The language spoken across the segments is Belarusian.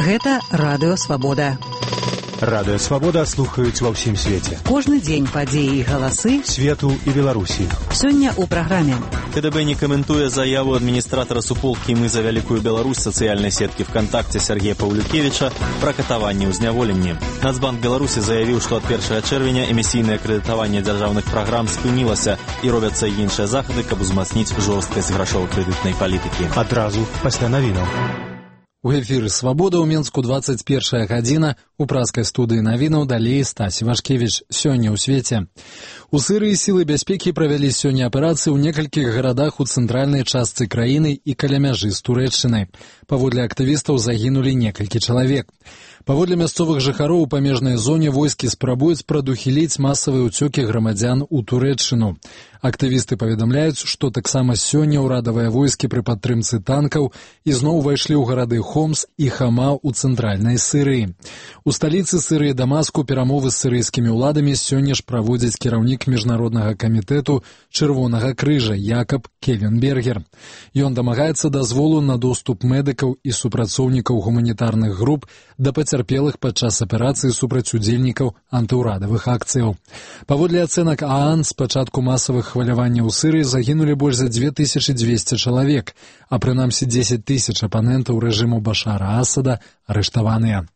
Гэта Радыё Свабода. Радыё Свабода слухаюць ва ўсім свеце. Кожны дзень падзеі і галасы свету і Беларусі. Сёння ў праграме. КДБ не каментуе заяву адміністратара суполкі «Мы за вялікую Беларусь» сацыяльнай сеткі ВКонтакте Сергея Паўлюкевіча пра катаванне ў зняволенні. Нацбанк Беларусі заявіў, што ад 1 чэрвеня эмісійнае крэдытаванне дзяржаўных праграм спынілася і робяцца іншыя захады, каб узмацніць жорсткасць грашова-крэдытнай палітыкі. Адразу пасля навінаў. У эфіры «Свабода» ў Мінску 21 гадзіна. У праскай студыі навінаў далей Стась Вашкевіч. Сёння ў свеце. У Сірыі сілы бяспекі правялі сёння аперацыі ў некалькіх гарадах у цэнтральнай частцы краіны і каля мяжы з Турэччынай. Паводле актывістаў загінулі некалькі чалавек. Паводле мясцовых жыхароў у памежнай зоне войскі спрабуюць прадухіліць масавыя ўцёкі грамадзян у Турэччыну. Актывісты паведамляюць, што таксама сёння ўрадавыя войскі пры падтрымцы танкаў ізноў увайшлі ў гарады Хомс і Хама ў цэнтральнай Сірыі. У сталіцы Сірыі Дамаску перамовы з сірыйскімі ўладамі сёння ж праводзіць кіраўнік міжнароднага камітэту Чырвонага крыжа Якаб Кевенбергер. Ён дамагаецца дазволу на доступ медыкаў і супрацоўнікаў гуманітарных груп да пацярпелых падчас аперацыі супраць удзельнікаў антыўрадавых акцыяў. Паводле ацэнак ААН, з пачатку масавых хваляванняў у Сірыі загінулі больш за 2200 чалавек, а прынамсі 10 000 апанентаў рэжыму Башара Асада арыштаваныя.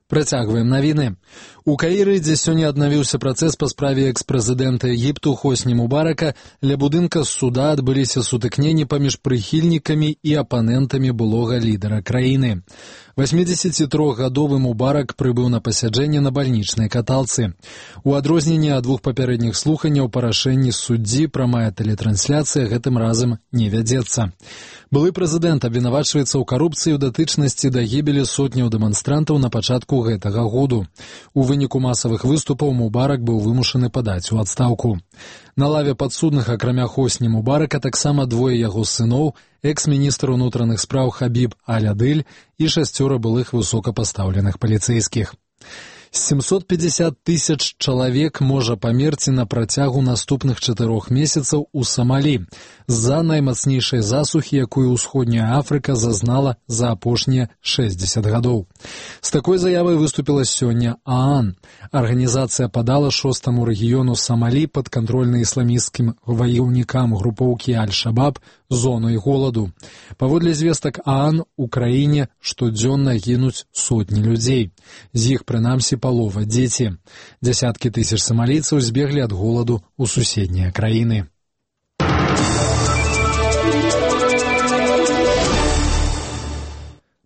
Працягваем навіны. У Каіры, дзе сёння аднавіўся працэс па справе экс-прэзідэнта Егіпту Хосні Мубарака, ля будынка суда адбыліся сутыкненні паміж прыхільнікамі і апанентамі былога лідара краіны. 83-гадовы Мубарак прыбыў на пасяджэнне на бальнічнай каталцы. У адрозненне ад двух папярэдніх слуханняў па рашэнні суддзі прамая тэлетрансляцыя гэтым разам не вядзецца. Былы прэзідэнт абвінавачваецца ў карупцыі ў датычнасці да гібелі сотняў дэманстрантаў на пачатку гэтага году. У выніку масавых выступаў Мубарак быў вымушаны падаць у адстаўку. На лаве падсудных, акрамя Хосні Мубарака, таксама двое яго сыноў, экс-міністр унутраных спраў Хабіб Аль-Адыль і 6 былых высокапастаўленых паліцэйскіх. 750 000 чалавек можа памерці на працягу наступных 4 месяцаў у Самалі з-за наймацнейшай засухі, якую ўсходняя Афрыка зазнала за апошнія 60 гадоў. З такой заявай выступіла сёння ААН. Арганізацыя падала 6-му рэгіёну Самалі падкантрольны ісламісцкім ваяўнікам групоўкі Аль-Шабаб зонай голаду. Паводле звестак ААН, у краіне штодзённа гінуць сотні людзей. З іх, прынамсі, палова дзеці. Дзясяткі тысяч самалійцаў збеглі ад голаду ў суседнія краіны.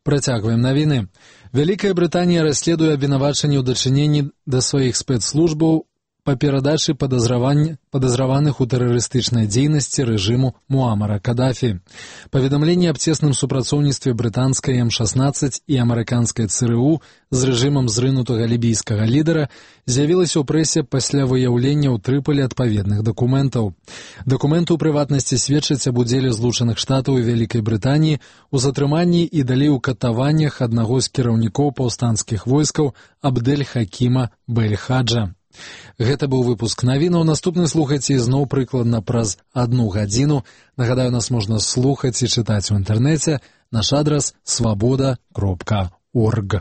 Працягваем навіны. Вялікая Брытанія расследуе абвінавачанні ў дачыненні да сваіх спецслужбаў па перадачы падазраваных у тэрарыстычнай дзейнасці рэжыму Муамара Кадафі. Паведамленне аб цесным супрацоўніцтве брытанскай М-16 і амерыканскай ЦРУ з рэжымам зрынутага лібійскага лідара з'явілася ў прэсе пасля выяўлення ў Трыполі адпаведных дакументаў. Дакументы ў прыватнасці сведчаць аб удзеле Злучаных Штатаў і Вялікай Брытаніі у затрыманні і далей у катаваннях аднаго з кіраўнікоў паўстанцкіх войскаў Абдэль-Хакіма Бель-Хаджа. Гэта быў выпуск навінаў. Наступны слухайце ізноў прыкладна праз 1 гадзіну. Нагадаю, нас можна слухаць і чытаць у інтэрнэце. Наш адрас свабода.орг.